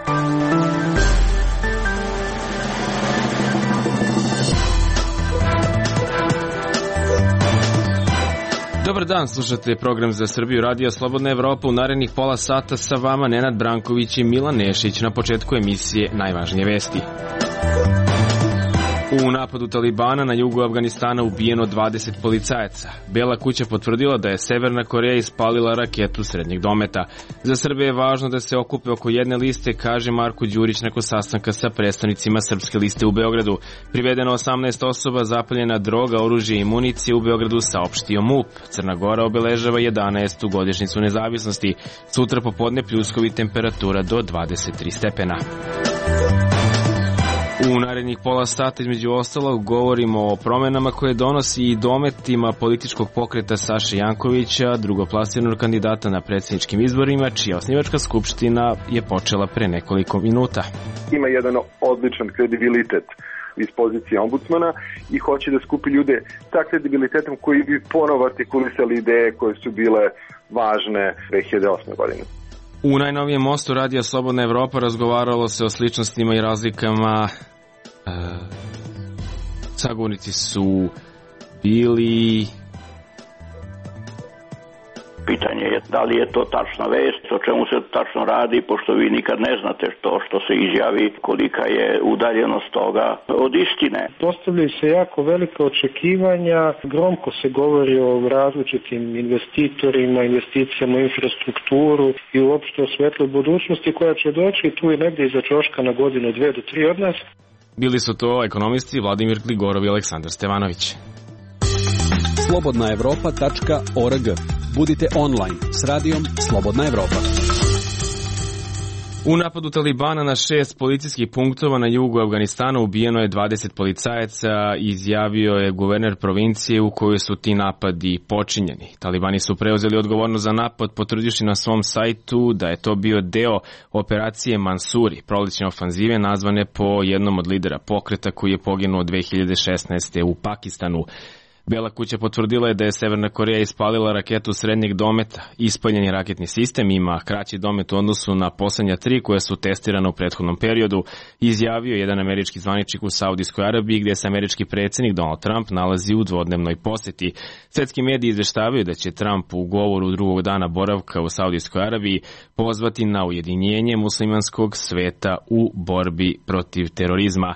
Dobar dan, slušate program Za Srbiju, Radio Slobodna Evropa. U narednih pola sata sa vama Nenad Branković i Milan Nešić. Na početku emisije najvažnije vesti. U napadu Talibana na jugu Afganistana ubijeno 20 policajaca. Bela kuća potvrdila da je Severna Koreja ispalila raketu srednjeg dometa. Za Srbe je važno da se okupe oko jedne liste, kaže Marko Đurić nakon sastanka sa predstavnicima Srpske liste u Beogradu. Privedeno 18 osoba, zapaljena droga, oružje i municije u Beogradu, saopštio MUP. Crna Gora obeležava 11. godišnjicu nezavisnosti. Sutra popodne pljuskovi, temperatura do 23 stepena. U narednih pola sata između ostalog govorimo o promenama koje donosi i dometima političkog pokreta Saše Jankovića, drugoplasiranog kandidata na predsjedničkim izborima, čija osnivačka skupština je počela pre nekoliko minuta. Ima jedan odličan kredibilitet iz pozicije ombudsmana i hoće da skupi ljude sa kredibilitetom koji bi ponovo artikulisali ideje koje su bile važne 2008. godine. U najnovijem mostu Radija Slobodna Evropa razgovaralo se o sličnostima i razlikama. Sagovornici su bili... Pitanje je da li je to tačna vest, o čemu se tačno radi, pošto vi nikad ne znate što se izjavi, kolika je udaljenost toga od istine. Postavljaju se jako velike očekivanja, gromko se govori o različitim investitorima, investicijama u infrastrukturu i uopšte o svetloj budućnosti koja će doći tu i negdje iza ćoška na godinu, 2 do 3 od nas. Bili su to ekonomisti Vladimir Gligorov i Aleksandar Stevanović. slobodnaevropa.org. Budite online s radijom Slobodna Evropa. U napadu Talibana na 6 policijskih punktova na jugu Afganistana ubijeno je 20 policajaca, izjavio je guverner provincije u kojoj su ti napadi počinjeni. Talibani su preuzeli odgovornost za napad, potvrdivši na svom sajtu da je to bio deo operacije Mansuri, prolećne ofanzive nazvane po jednom od lidera pokreta koji je poginuo 2016. u Pakistanu. Bela kuća potvrdila je da je Severna Koreja ispalila raketu srednjeg dometa. Ispaljeni raketni sistem ima kraći domet u odnosu na poslednja 3 koje su testirane u prethodnom periodu, izjavio jedan američki zvaničnik u Saudijskoj Arabiji gde se američki predsjednik Donald Trump nalazi u dvodnevnoj poseti. Svetski mediji izveštavaju da će Trump u govoru drugog dana boravka u Saudijskoj Arabiji pozvati na ujedinjenje muslimanskog sveta u borbi protiv terorizma.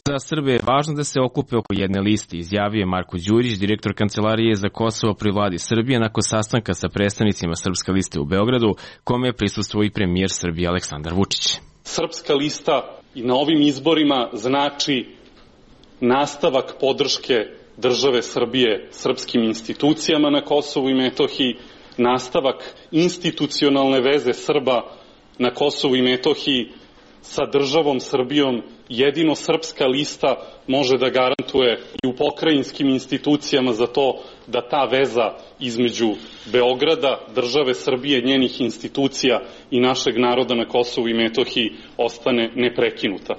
Za Srbe je važno da se okupe oko jedne liste, izjavio Marko Đurić, direktor Kancelarije za Kosovo pri vladi Srbije, nakon sastanka sa predstavnicima Srpske liste u Beogradu, kome je prisustvovao i premijer Srbije Aleksandar Vučić. Srpska lista i na ovim izborima znači nastavak podrške države Srbije srpskim institucijama na Kosovu i Metohiji, nastavak institucionalne veze Srba na Kosovu i Metohiji sa državom Srbijom. Jedino Srpska lista može da garantuje i u pokrajinskim institucijama za to da ta veza između Beograda, države Srbije, njenih institucija i našeg naroda na Kosovu i Metohiji ostane neprekinuta.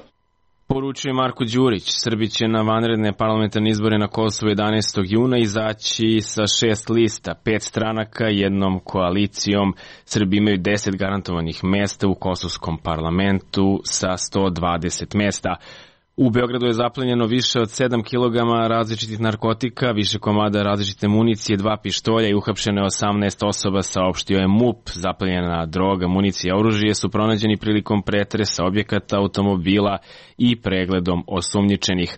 Poručuje Marko Đurić. Srbi će na vanredne parlamentarne izbore na Kosovu 11. juna izaći sa 6 lista, 5 stranaka, jednom koalicijom. Srbi imaju 10 garantovanih mesta u kosovskom parlamentu sa 120 mesta. U Beogradu je zaplenjeno više od 7 kg različitih narkotika, više komada različite municije, 2 pištolja i uhapšeno je 18 osoba, saopštio je MUP. Zaplenjena droga, municija i oružje su pronađeni prilikom pretresa objekata, automobila i pregledom osumnjičenih.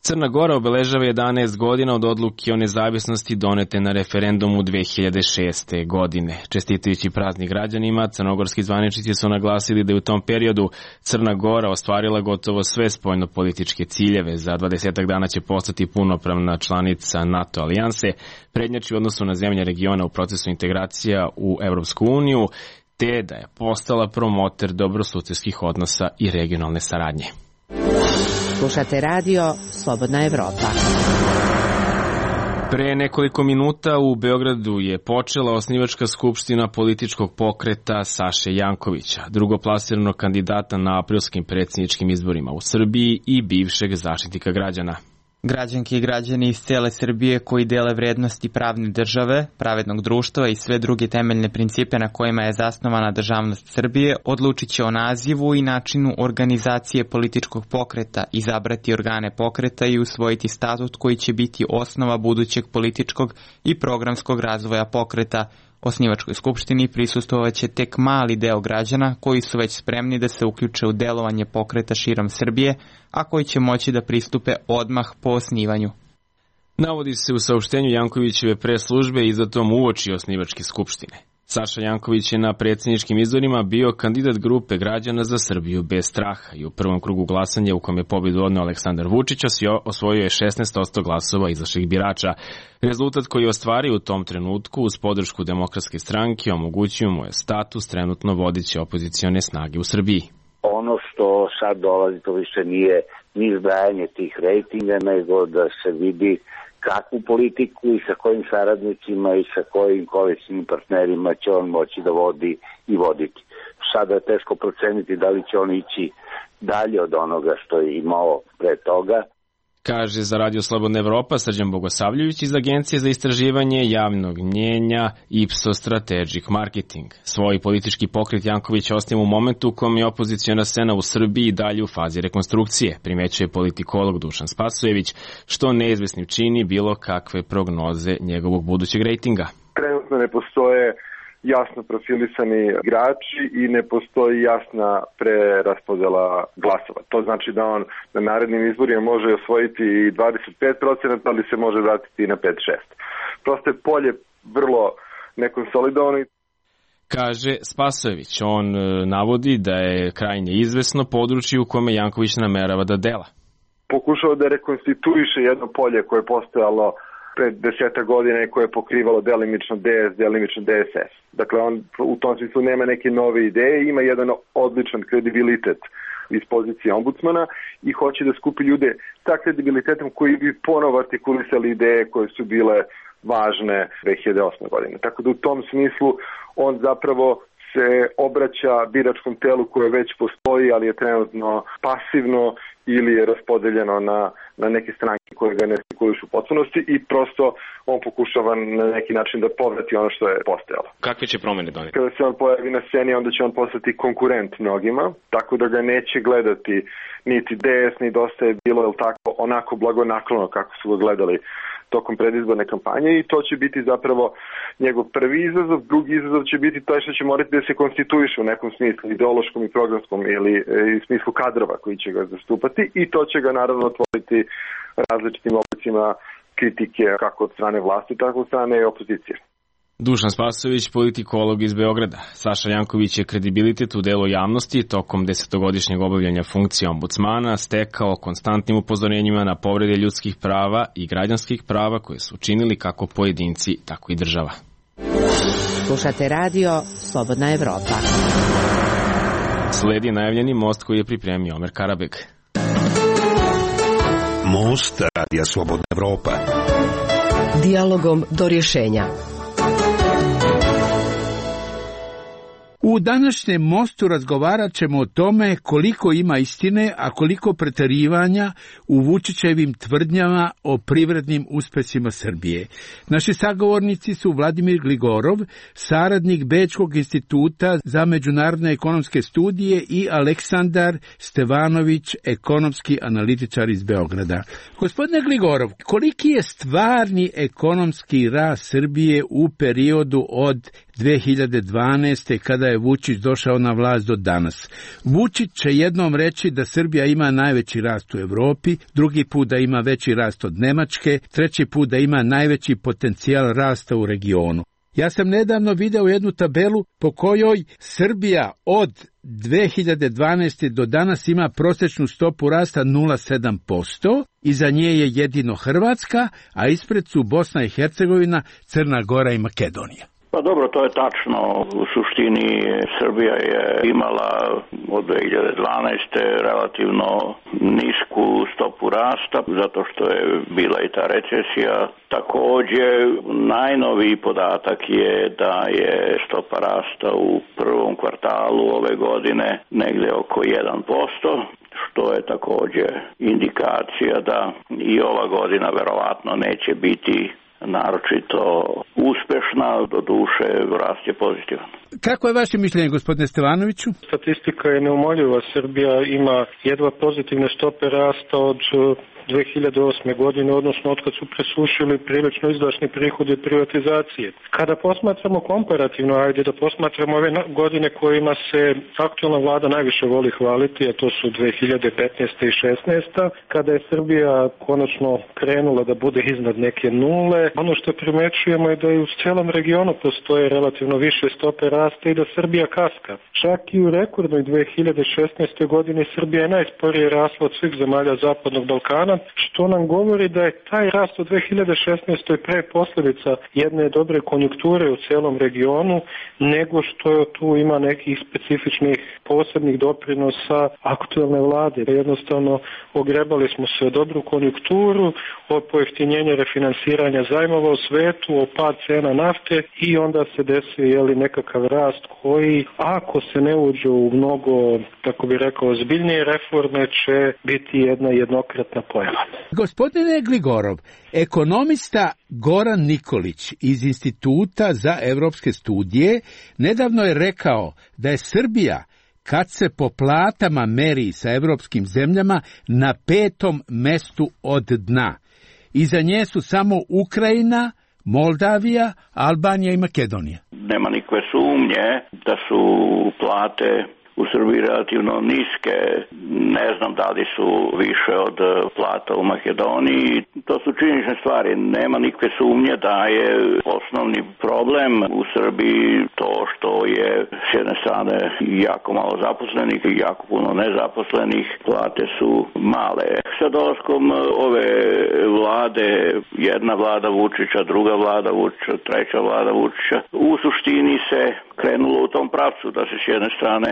Crna Gora obeležava 11 godina od odluke o nezavisnosti donete na referendumu 2006. godine. Čestitajući praznik građanima, crnogorski zvaničnici su naglasili da je u tom periodu Crna Gora ostvarila gotovo sve spoljnopolitičke ciljeve. Za 20 dana će postati punopravna članica NATO alijanse, prednjači u odnosu na zemlje regiona u procesu integracija u Evropsku uniju, te da je postala promoter dobrosusedskih odnosa i regionalne saradnje. Slušate radio Slobodna Evropa. Pre nekoliko minuta u Beogradu je počela osnivačka skupština političkog pokreta Saše Jankovića, drugoplasiranog kandidata na aprilskim predsjedničkim izborima u Srbiji i bivšeg zaštitnika građana. Građanke i građani iz cele Srbije koji dele vrednosti pravne države, pravednog društva i sve druge temeljne principe na kojima je zasnovana državnost Srbije, odlučit će o nazivu i načinu organizacije političkog pokreta, izabrati organe pokreta i usvojiti statut koji će biti osnova budućeg političkog i programskog razvoja pokreta. Osnivačkoj skupštini prisustvovaće tek mali deo građana koji su već spremni da se uključe u delovanje pokreta širom Srbije, a koji će moći da pristupe odmah po osnivanju. Navodi se u saopštenju Jankovićeve preslužbe izdatom uoči osnivačke skupštine. Saša Janković je na predsjedničkim izborima bio kandidat grupe građana za Srbiju bez straha i u prvom krugu glasanja u kom je pobedu odneo Aleksandar Vučić osvojio je 16% glasova izašlih birača. Rezultat koji je ostvario u tom trenutku uz podršku Demokratske stranke omogućio mu je status trenutno vodeće opozicione snage u Srbiji. Ono što sad dolazi, to više nije ni zbrajanje tih rejtinga, nego da se vidi kakvu politiku i sa kojim saradnicima i sa kojim koalicijnim partnerima će on moći da vodi i voditi. Sada je teško proceniti da li će on ići dalje od onoga što je imao pre toga. Kaže za Radio Slobodna Evropa Srđan Bogosavljević iz Agencije za istraživanje javnog mnjenja Ipsos Strategic Marketing. Svoj politički pokret Janković osniva u momentu u kom je opoziciona scena u Srbiji dalje u fazi rekonstrukcije, primećuje politikolog Dušan Spasojević, što neizvesnim čini bilo kakve prognoze njegovog budućeg rejtinga. Trenutno ne postoje jasno profilisani igrači i ne postoji jasna preraspodela glasova. To znači da on na narednim izborima može osvojiti 25%, ali se može vratiti i na 5-6. Prosto je polje vrlo nekonsolidovano. Kaže Spasojević, on navodi da je krajnje izvesno područje u kome Janković namerava da dela. Pokušao da rekonstituiše jedno polje koje je postojalo pred 10 godina i koje je pokrivalo delimično DS, delimično DSS. Dakle, on u tom smislu nema neke nove ideje, ima jedan odličan kredibilitet iz pozicije ombudsmana i hoće da skupi ljude sa kredibilitetom koji bi ponovo artikulisali ideje koje su bile važne 2008. godine. Tako da u tom smislu on zapravo se obraća biračkom telu koje već postoji, ali je trenutno pasivno ili je raspodeljeno na neke stranke koje ga ne artikulišu u potpunosti i prosto on pokušava na neki način da povrati ono što je postojalo. Kakve će promene doneti? Kada se on pojavi na sceni, onda će on postati konkurent mnogima, tako da ga neće gledati niti DS, ni Dosta je bilo, ili tako, onako blagonaklono kako su ga gledali tokom predizborne kampanje i to će biti zapravo njegov prvi izazov. Drugi izazov će biti to što će morati da se konstituiše u nekom smislu, ideološkom i programskom ili u smislu kadrova koji će ga zastupati i to će ga naravno otvoriti različitim oblicima kritike kako od strane vlasti, tako od strane opozicije. Dušan Spasojević, politikolog iz Beograda. Saša Janković je kredibilitet u delu javnosti tokom 10-godišnjeg obavljanja funkcije ombudsmana stekao konstantnim upozorenjima na povrede ljudskih prava i građanskih prava koje su činili kako pojedinci, tako i država. Slušate radio Slobodna Evropa. Sledi najavljeni most koji je pripremio Omer Karabeg. Most Radija Slobodna Evropa. Dijalogom do rješenja. U današnjem mostu razgovarat ćemo o tome koliko ima istine, a koliko preterivanja u Vučićevim tvrdnjama o privrednim uspesima Srbije. Naši sagovornici su Vladimir Gligorov, saradnik Bečkog instituta za međunarodne ekonomske studije i Aleksandar Stevanović, ekonomski analitičar iz Beograda. Gospodine Gligorov, koliki je stvarni ekonomski rast Srbije u periodu od 2012. kada je Vučić došao na vlast do danas? Vučić će jednom reći da Srbija ima najveći rast u Evropi, drugi put da ima veći rast od Nemačke, treći put da ima najveći potencijal rasta u regionu. Ja sam nedavno video jednu tabelu po kojoj Srbija od 2012. do danas ima prosječnu stopu rasta 0,7%, iza nje je jedino Hrvatska, a ispred su Bosna i Hercegovina, Crna Gora i Makedonija. Pa dobro, to je tačno. U suštini Srbija je imala od 2012. relativno nisku stopu rasta, zato što je bila i ta recesija. Također, najnoviji podatak je da je stopa rasta u prvom kvartalu ove godine negdje oko 1%. što je također indikacija da i ova godina verovatno neće biti naročito uspešna, do duše rast je pozitivan. Kako je vaše mišljenje, gospodine Stevanoviću? Statistika je neumoljiva. Srbija ima jedva pozitivne stope rasta od 2008. godine, odnosno od kad su presušili prilično izdašni prihodi od privatizacije. Kada posmatramo komparativno, ajde da posmatramo ove godine kojima se aktualna vlada najviše voli hvaliti, a to su 2015. i 2016. kada je Srbija konačno krenula da bude iznad neke nule. Ono što primećujemo je da i u celom regionu postoje relativno više stope rasta i da Srbija kaska. Čak i u rekordnoj 2016. godini Srbija je najsporije rasla od svih zemalja Zapadnog Balkana, što nam govori da je taj rast u 2016. pre posljedica jedne dobre konjunkture u celom regionu, nego što tu ima nekih specifičnih posebnih doprinosa aktuelne vlade. Jednostavno ogrebali smo se o dobru konjunkturu, o pojeftinjenje refinansiranja zajmova u svetu, o pad cena nafte i onda se desio nekakav rast koji, ako se ne uđe u mnogo, tako bi rekao, ozbiljnije reforme, će biti jedna jednokratna pojava. Gospodine Gligorov, ekonomista Goran Nikolić iz Instituta za evropske studije nedavno je rekao da je Srbija, kad se po platama meri sa evropskim zemljama, na 5. mestu od dna. Iza nje su samo Ukrajina, Moldavija, Albanija i Makedonija. Nema nikakve sumnje da su plate u Srbiji relativno niske, ne znam da li su više od plata u Makedoniji. To su činjenične stvari. Nema nikakve sumnje da je osnovni problem u Srbiji to što je s jedne strane jako malo zaposlenih i jako puno nezaposlenih. Plate su male. Sa dolaskom ove vlade, jedna vlada Vučića, druga vlada Vučića, treća vlada Vučića, u suštini se krenulo u tom pravcu da se s jedne strane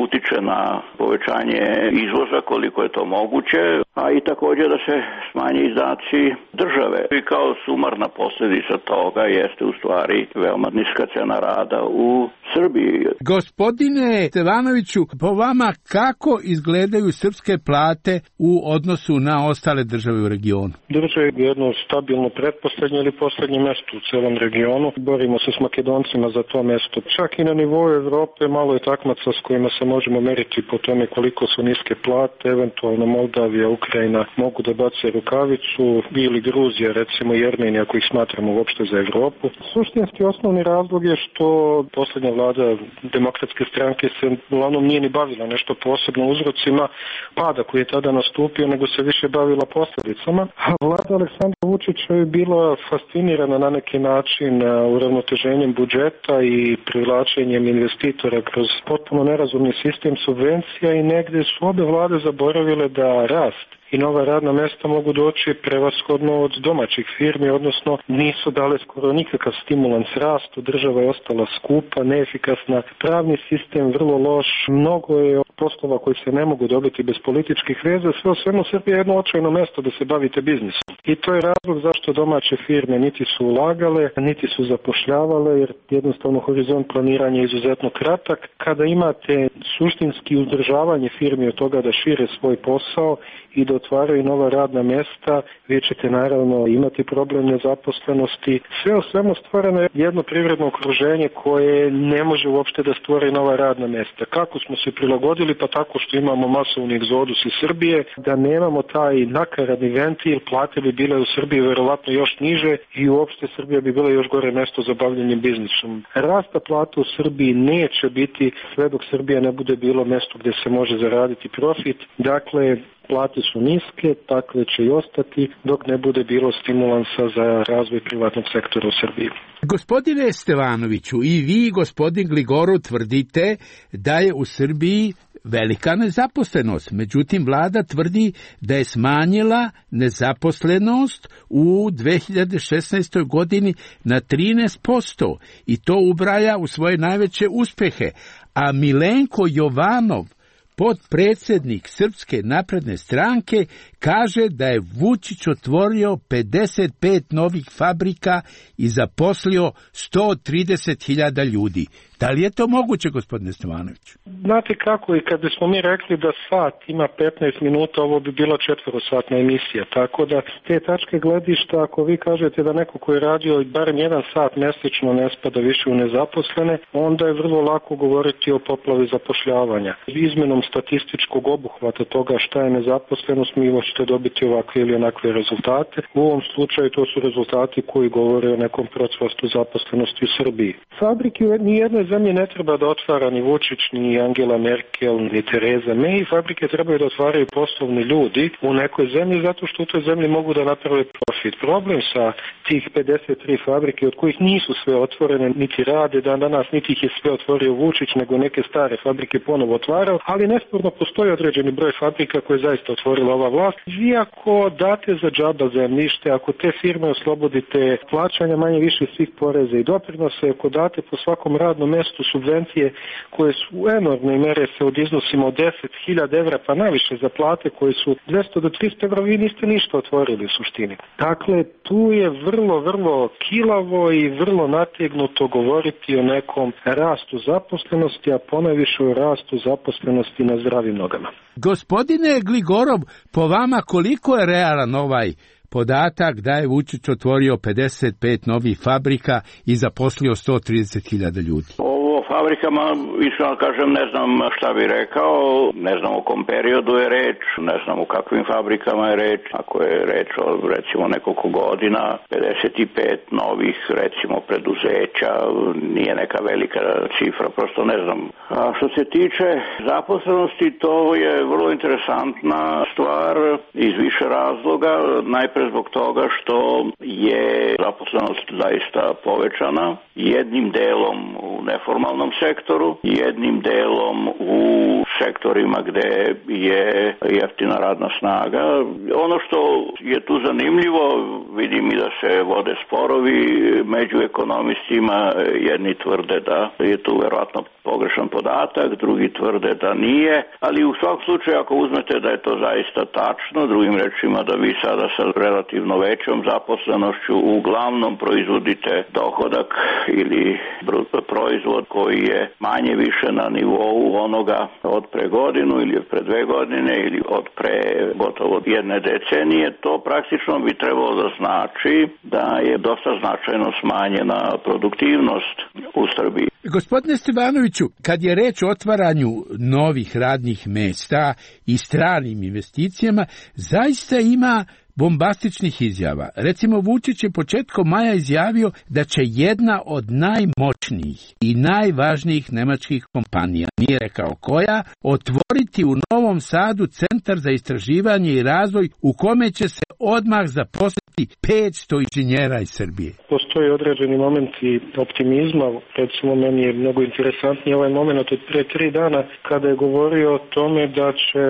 utiče na povećanje izvoza koliko je to moguće, a i također da se smanje izdaci države. I kao sumarna posljedica toga jeste u stvari veoma niska cena rada u Srbiji. Gospodine Stevanoviću, po vama kako izgledaju srpske plate u odnosu na ostale države u regionu? Drže jedno stabilno pretposlednje ili poslednje mesto u celom regionu. Borimo se s Makedoncima za to mesto. Čak i na nivou Evrope malo je takmaca s kojima se možemo meriti po tome koliko su niske plate, eventualno Moldavija, Ukrajina mogu da bace rukavicu, ili Gruzija, recimo i Armenija, ako ih smatramo uopšte za Evropu. Suštinski osnovni razlog je što poslednja vlada Demokratske stranke se uglavnom nije ni bavila nešto posebno uzrocima pada koji je tada nastupio, nego se više bavila posljedicama. A vlada Aleksandra Vučića je bila fascinirana na neki način uravnoteženjem budžeta i privlačenjem investitora kroz potpuno nerazumni sistem subvencija i negde su obe vlade zaboravile da rast i nova radna mesta mogu doći prevashodno od domaćih firmi, odnosno nisu dale skoro nikakav stimulans rastu, država je ostala skupa, neefikasna, pravni sistem vrlo loš, mnogo je poslova koji se ne mogu dobiti bez političkih veza, sve o svemu Srbija je jedno očajno mesto da se bavite biznisom. I to je razlog zašto domaće firme niti su ulagale, niti su zapošljavale, jer jednostavno horizont planiranja je izuzetno kratak. Kada imate suštinski uzdržavanje firmi od toga da šire svoj posao i da otvaraju nova radna mesta, vi ćete naravno imati problem nezaposlenosti. Sve o svemu stvoreno je jedno privredno okruženje koje ne može uopšte da stvori nova radna mesta. Kako smo se prilagodili? Pa tako što imamo masovni egzodus iz Srbije, da nemamo taj nakaradni ventil, plate bi bile u Srbiji verovatno još niže i uopšte Srbija bi bila još gore mesto za bavljanje biznisom. Rasta plata u Srbiji neće biti sve dok Srbija ne bude bilo mesto gde se može zaraditi profit. Dakle, plate su niske, takve će i ostati dok ne bude bilo stimulansa za razvoj privatnog sektora u Srbiji. Gospodine Stevanoviću, i vi, gospodin Gligorov, tvrdite da je u Srbiji velika nezaposlenost. Međutim, vlada tvrdi da je smanjila nezaposlenost u 2016. godini na 13% i to ubraja u svoje najveće uspehe. A Milenko Jovanov, potpredsjednik Srpske napredne stranke, kaže da je Vučić otvorio 55 novih fabrika i zaposlio 130.000 ljudi. Da li je to moguće, gospodine Stevanović? Znate kako, i kad bismo mi rekli da sat ima 15 minuta, ovo bi bila 4-satna emisija, tako da s te tačke gledišta, ako vi kažete da neko koji je radio barem 1 sat mesečno ne spada više u nezaposlene, onda je vrlo lako govoriti o poplavi zapošljavanja. Izmenom statističkog obuhvata toga šta je nezaposlenost, mi možete dobiti ovakve ili onakve rezultate. U ovom slučaju to su rezultati koji govore o nekom procvastu zaposlenosti u Srbiji. Fabrike ni jednoj zemlji ne treba da otvara ni Vučić, ni Angela Merkel, ni Tereza May. Fabrike trebaju da otvaraju poslovni ljudi u nekoj zemlji zato što u toj zemlji mogu da naprave profit. Problem sa tih 53 fabrike, od kojih nisu sve otvorene, niti rade danas, niti ih je sve otvorio Vučić, nego neke stare fabrike ponovo otvarao, ali nesporno postoji određeni broj fabrika koje je zaista otvorila ova vlast. Vi ako date za džaba zemljište, ako te firme oslobodite plaćanja manje više svih poreza i doprinose, ako date po svakom radnom mestu subvencije koje su u enormnoj mere se od iznosima od 10.000 evra pa naviše za plate koje su 200 do 300 evra, vi niste ništa otvorili u suštini. Dakle, tu je vrlo kilavo i vrlo nategnuto govoriti o nekom rastu zaposlenosti, a ponajviše o rastu zaposlenosti na zdravim nogama. Gospodine Gligorov, po vama koliko je realan ovaj podatak da je Vučić otvorio 55 novih fabrika i zaposlio 130.000 ljudi? O fabrikama, iskreno kažem, ne znam šta bi rekao, ne znam o kom periodu je reč, ne znam o kakvim fabrikama je reč. Ako je reč o recimo nekoliko godina, 55 novih recimo preduzeća, nije neka velika cifra, prosto ne znam. A što se tiče zaposlenosti, to je vrlo interesantna stvar iz više razloga. Najpre zbog toga što je zaposlenost zaista povećana, jednim delom u neformalnom sektoru, jednim delom u sektorima gde je jeftina radna snaga. Ono što je tu zanimljivo, vidim i da se vode sporovi među ekonomistima, jedni tvrde da je tu verovatno pogrešan podatak, drugi tvrde da nije, ali u svakom slučaju ako uzmete da je to zaista tačno, drugim rečima da vi sada sa relativno većom zaposlenošću uglavnom proizvodite dohodak ili proizvod koji je manje više na nivou onoga od pre godinu ili od pre 2 godine ili od pre gotovo 1 decenije, to praktično bi trebalo da znači da je dosta značajno smanjena produktivnost u Srbiji. Gospodine Stevanoviću, kad je reč o otvaranju novih radnih mesta i stranim investicijama, zaista ima bombastičnih izjava. Recimo, Vučić je početkom maja izjavio da će jedna od najmoćnijih i najvažnijih nemačkih kompanija, nije rekao koja, otvoriti u Novom Sadu centar za istraživanje i razvoj u kome će se odmah zaposliti 500 inženjera iz Srbije. Postoji određeni momenti optimizma, recimo meni je mnogo interesantniji ovaj moment od pre 3 dana kada je govorio o tome da će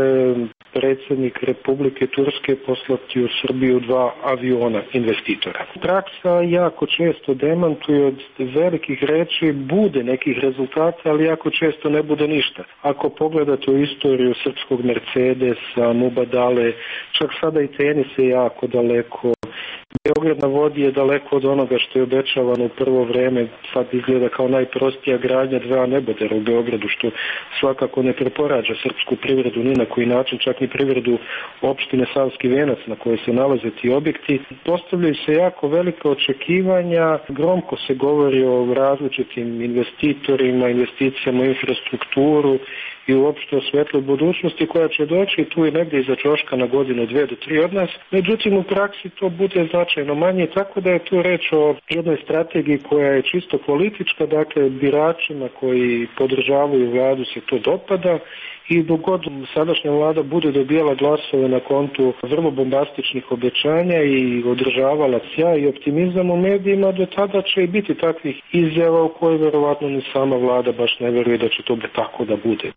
predsjednik Republike Turske poslati u Srbiju 2 aviona investitora. Praksa jako često demantuje od velikih reči, bude nekih rezultata, ali jako često ne bude ništa. Ako pogledate u istoriju srpskog Mercedesa, Mubadale, čak sada i tenis je jako daleko. Beograd na vodi je daleko od onoga što je obećavano u prvo vreme, sad izgleda kao najprostija gradnja 2 nebodera u Beogradu, što svakako ne preporađa srpsku privredu ni na koji način, čak ni privredu opštine Savski Venac na kojoj se nalaze ti objekti. Postavljaju se jako velika očekivanja, gromko se govori o različitim investitorima, investicijama u infrastrukturu i uopšte o svetloj budućnosti koja će doći tu i negdje iza ćoška na godinu, 2 do 3 od nas. Međutim, u praksi to bude značajno manje, tako da je tu reč o jednoj strategiji koja je čisto politička, dakle biračima koji podržavaju vladu se to dopada i dok god sadašnja vlada bude dobijala glasove na kontu vrlo bombastičnih obećanja i održavala sjaj i optimizam u medijima, do tada će i biti takvih izjava u koje verovatno ni sama vlada baš ne veruje da će to tako da bude.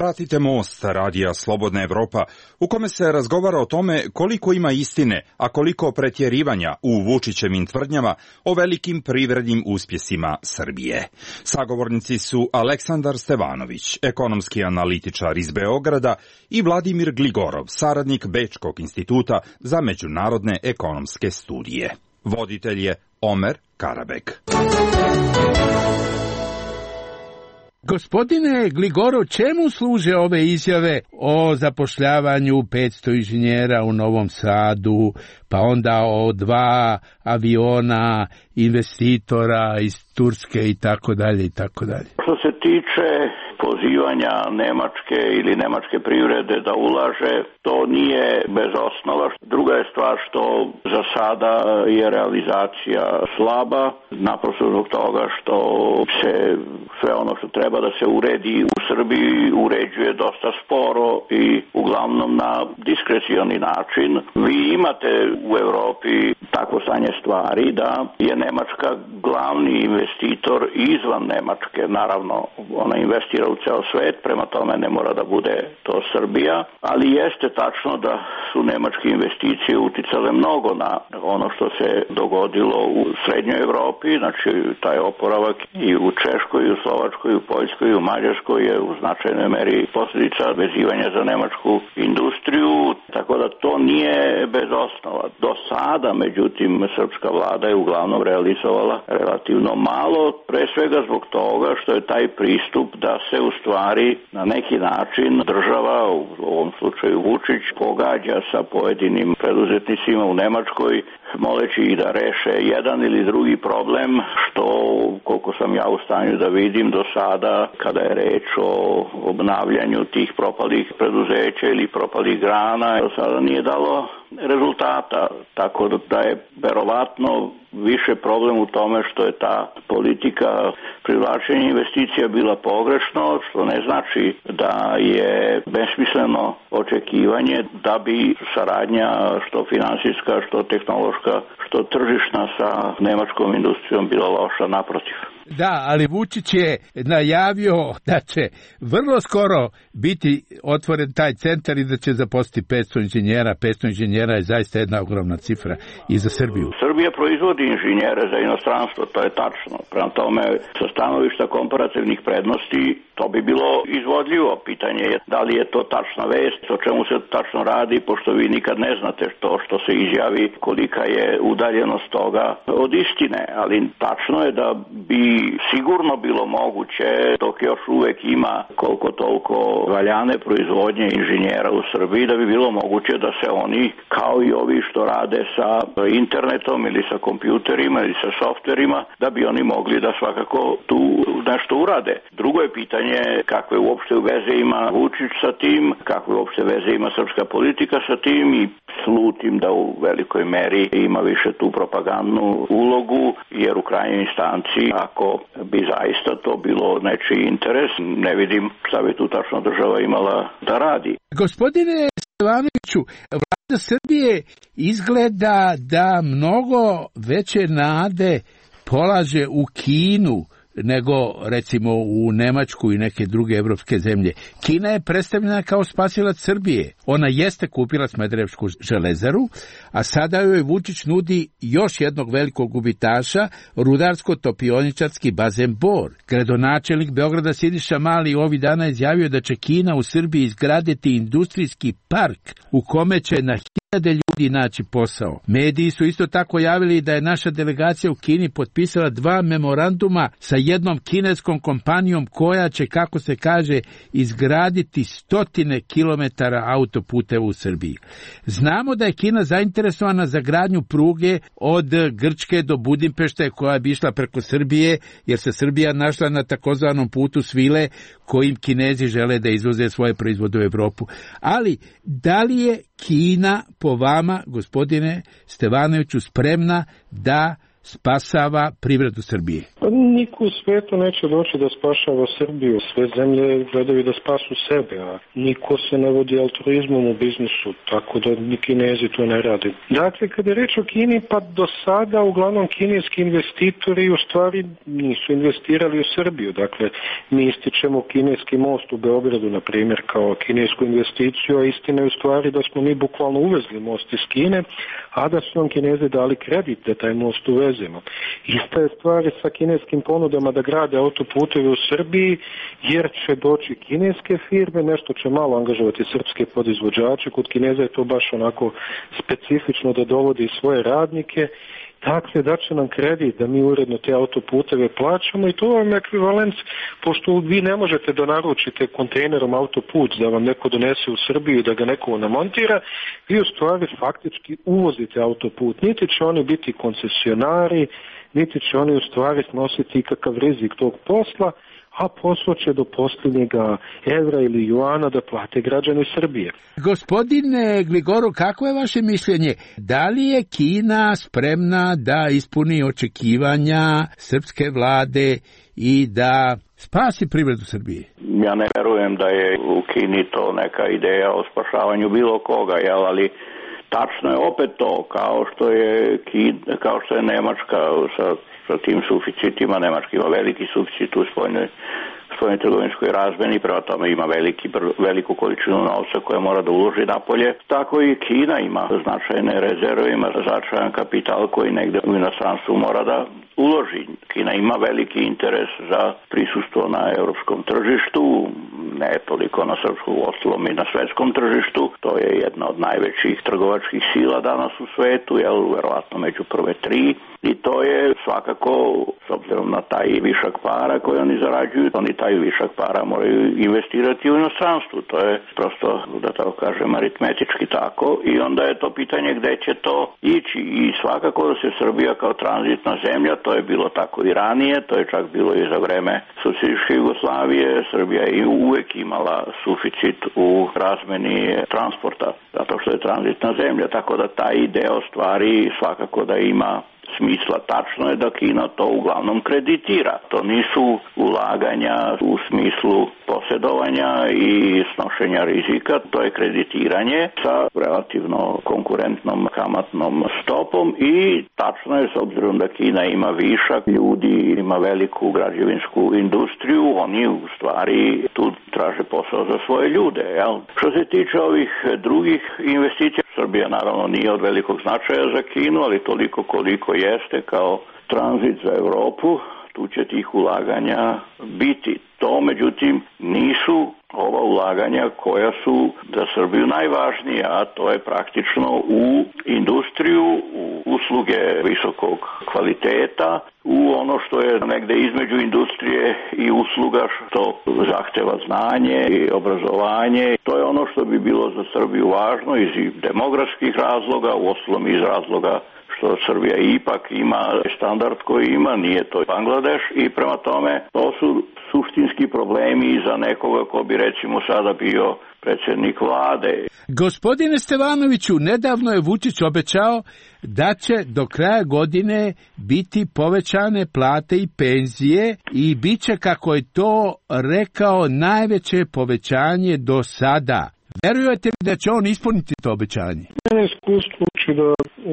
Pratite Most, radija Slobodna Evropa, u kome se razgovara o tome koliko ima istine, a koliko pretjerivanja u Vučićevim tvrdnjama o velikim privrednim uspjesima Srbije. Sagovornici su Aleksandar Stevanović, ekonomski analitičar iz Beograda, i Vladimir Gligorov, saradnik Bečkog instituta za međunarodne ekonomske studije. Voditelj je Omer Karabek. Gospodine Gligorov, čemu služe ove izjave o zapošljavanju 500 inženjera u Novom Sadu, pa onda o 2 aviona investitora iz Turske i tako dalje i tako dalje? Što se tiče pozivanja Nemačke ili nemačke privrede da ulaže, to nije bez osnova. Druga je stvar što za sada je realizacija slaba, naprosto zbog toga što se sve ono što treba da se uredi u Srbiji uređuje dosta sporo i uglavnom na diskrecioni način. Vi imate u Evropi takvo stanje stvari da je Nemačka glavni investitor izvan Nemačke. Naravno, ona investira u ceo svet, prema tome ne mora da bude to Srbija, ali jeste tačno da su nemačke investicije uticale mnogo na ono što se dogodilo u srednjoj Evropi, znači taj oporavak i u Češkoj, i u Slovačkoj, i u Poljskoj, i u Mađarskoj je u značajnoj meri posljedica vezivanja za nemačku industriju, tako da to nije bez osnova. Do sada, međutim, srpska vlada je uglavnom realizovala relativno malo, pre svega zbog toga što je taj pristup da se u stvari na neki način država, u ovom slučaju Vučić, pogađa sa pojedinim preduzetnicima u Nemačkoj, moleći ih da reše jedan ili drugi problem, što, koliko sam ja u stanju da vidim do sada, kada je reč o obnavljanju tih propalih preduzeća ili propalih grana, do sada nije dalo rezultata, tako da je verovatno više problem u tome što je ta politika privlačenja investicija bila pogrešno, što ne znači da je besmisleno očekivanje da bi saradnja što finansijska, što tehnološka, što tržišna sa nemačkom industrijom bila loša, naprotiv. Da, ali Vučić je najavio da će vrlo skoro biti otvoren taj centar i da će zaposliti 500 inženjera. 500 inženjera je zaista jedna ogromna cifra i za Srbiju. Srbija proizvodi inženjere za inostranstvo, to je tačno. Prema tome, sa stanovišta komparativnih prednosti, to bi bilo izvodljivo. Pitanje je da li je to tačna vest, o čemu se tačno radi, pošto vi nikad ne znate to što se izjavi, kolika je udaljenost toga od istine. Ali tačno je da bi sigurno bilo moguće, dok još uvek ima koliko toliko valjane proizvodnje inženjera u Srbiji, da bi bilo moguće da se oni, kao i ovi što rade sa internetom ili sa kompjuterima ili sa softverima, da bi oni mogli da svakako tu nešto urade. Drugo je pitanje kakve uopšte veze ima Vučić sa tim, kakve uopšte veze ima srpska politika sa tim, i slutim da u velikoj meri ima više tu propagandnu ulogu, jer u krajnjoj instanci, ako bi zaista to bilo nečiji interes, ne vidim šta bi tu tačno država imala da radi. Gospodine Stevanoviću, vlada Srbije izgleda da mnogo veće nade polaže u Kinu nego recimo u Nemačku i neke druge evropske zemlje. Kina je predstavljena kao spasilac Srbije. Ona jeste kupila Smederevsku železaru, a sada joj Vučić nudi još jednog velikog gubitaša, rudarsko-topioničarski bazen Bor. Gradonačelnik Beograda Siniša Mali ovih dana izjavio da će Kina u Srbiji izgraditi industrijski park u kome će na hiljade ljudi naći posao. Mediji su isto tako javili da je naša delegacija u Kini potpisala 2 memoranduma sa jednom kineskom kompanijom koja će, kako se kaže, izgraditi 100 kilometara autoputeva u Srbiji. Znamo da je Kina zainteresovana za gradnju pruge od Grčke do Budimpešte koja bi išla preko Srbije, jer se Srbija našla na takozvanom putu svile kojim Kinezi žele da izvoze svoje proizvode u Evropu. Ali, da li je Kina po vama, gospodine Stevanoviću, spremna da spasava privredu Srbije? Niko u svijetu neće doći da spašava Srbiju. Sve zemlje gledaju da spasu sebe, a niko se ne vodi altruizmom u biznisu, tako da ni Kinezi to ne radi. Dakle, kada je reč o Kini, pa do sada uglavnom kineski investitori u stvari nisu investirali u Srbiju. Dakle, mi ističemo kineski most u Beogradu, na primjer, kao kinesku investiciju, a istina je u stvari da smo mi bukvalno uvezli most iz Kine, a da su nam Kinezi dali kredit da taj most uvezemo. Ista je stvari sa kineskim ponudama da grade autoputeve u Srbiji, jer će doći kineske firme, nešto će malo angažovati srpske podizvođače, kod Kineza je to baš onako specifično da dovodi svoje radnike. Dakle, da će nam kredit da mi uredno te autoputeve plaćamo i to vam je ekvivalent, pošto vi ne možete da naručite kontejnerom autoput da vam neko donese u Srbiju i da ga neko namontira, vi u stvari faktički uvozite autoput. Niti će oni biti koncesionari, niti će oni u stvari snositi kakav rizik tog posla, a posao će do posljednjega evra ili juana da plate građani Srbije. Gospodine Gligorov, kako je vaše mišljenje? Da li je Kina spremna da ispuni očekivanja srpske vlade i da spasi privredu Srbije? Ja ne verujem da je u Kini to neka ideja o spašavanju bilo koga, ali tačno je opet to, kao što je Nemačka sa tim suficitima. Nemačka ima veliki suficit u spoljnoj trgovinskoj razmeni, prema tome ima veliku količinu novca koja mora da uloži napolje. Tako i Kina ima značajne rezerve, ima značajan kapital koji negde u inostranstvu mora da uloži. Kina ima veliki interes za prisustvo na europskom tržištu, ne toliko na srpskom, ostalom i na svetskom tržištu. To je jedna od najvećih trgovačkih sila danas u svetu, verovatno među prve 3. I to je svakako, s obzirom na taj višak para koji oni zarađuju, oni taj višak para moraju investirati u inostranstvu. To je prosto, da tako kažem, aritmetički tako. I onda je to pitanje gde će to ići. I svakako da se Srbija kao tranzitna zemlja, to je bilo tako i ranije, to je čak bilo i za vreme socijalističke Jugoslavije. Srbija je uvek imala suficit u razmeni transporta, zato što je tranzitna zemlja. Tako da taj deo stvari svakako da ima smisla. Tačno je da Kina to uglavnom kreditira. To nisu ulaganja u smislu posjedovanja i snošenja rizika, to je kreditiranje sa relativno konkurentnom kamatnom stopom i tačno je, s obzirom da Kina ima višak ljudi, ima veliku građevinsku industriju, oni u stvari tu traže posao za svoje ljude. Što se tiče ovih drugih investicija, Srbija naravno nije od velikog značaja za Kinu, ali toliko koliko jeste kao tranzit za Evropu, tu će tih ulaganja biti. To, međutim, nisu ova ulaganja koja su za Srbiju najvažnija, a to je praktično u industriju, u usluge visokog kvaliteta, u ono što je negde između industrije i usluga, što zahteva znanje i obrazovanje. To je ono što bi bilo za Srbiju važno iz demografskih razloga, uostalom iz razloga što Srbija ipak ima standard koji ima, nije to Bangladeš i prema tome to su suštinski problemi za nekoga ko bi recimo sada bio predsjednik vlade. Gospodine Stevanoviću, nedavno je Vučić obećao da će do kraja godine biti povećane plate i penzije i bit će, kako je to rekao, najveće povećanje do sada. Verujete li da će on ispuniti to obećanje? Mene iskustvo uči da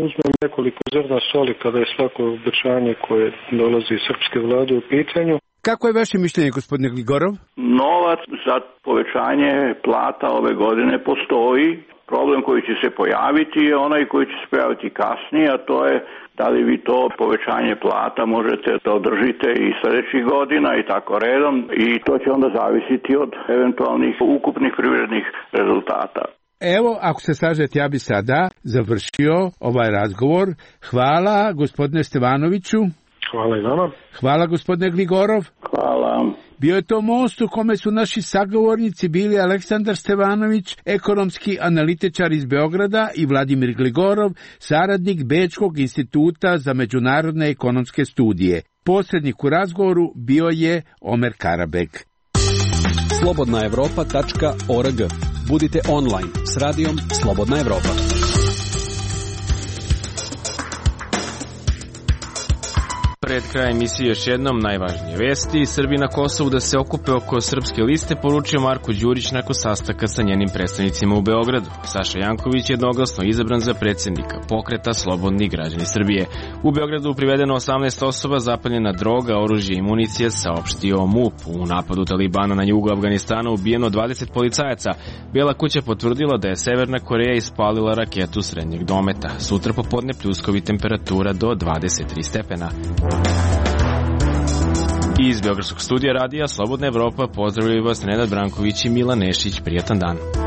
uzmem nekoliko zrna soli kada je svako obećanje koje dolazi iz srpske vlade u pitanju. Kako je vaše mišljenje, gospodine Gligorov? Novac za povećanje plata ove godine postoji. Problem koji će se pojaviti je onaj koji će se pojaviti kasnije, a to je da li vi to povećanje plata možete da održite i sljedećih godina i tako redom, i to će onda zavisiti od eventualnih ukupnih privrednih rezultata. Evo, ako se slažete, ja bi sada završio ovaj razgovor. Hvala, gospodine Stevanoviću. Hvala i vama. Hvala, gospodine Gligorov. Hvala. Bio je to most u kome su naši sagovornici bili Aleksandar Stevanović, ekonomski analitičar iz Beograda, i Vladimir Gligorov, saradnik Bečkog instituta za međunarodne ekonomske studije. Posrednik u razgovoru bio je Omer Karabek. slobodnaevropa.org. Budite online s radijom Slobodna Evropa. pred krajem emisije još jednom najvažnije vesti. Srbi na Kosovu da se okupe oko srpske liste, poručio Marko Đurić nakon sastanka sa njenim predstavnicima u Beogradu. Saša Janković je jednoglasno izabran za predsjednika pokreta Slobodni građani Srbije. U Beogradu privedeno 18 osoba, zapaljena droga, oružje i municije, saopštio MUP. U napadu Talibana na jugu Afganistana ubijeno 20 policajaca. Bijela kuća potvrdila da je Severna Koreja ispalila raketu srednjeg dometa. Sutra popodne pljuskovi temperatura do 23 stepena. Iz Beogradskog studija radija Slobodna Evropa pozdravljaju vas Nenad Branković i Milan Nešić. Prijatan dan.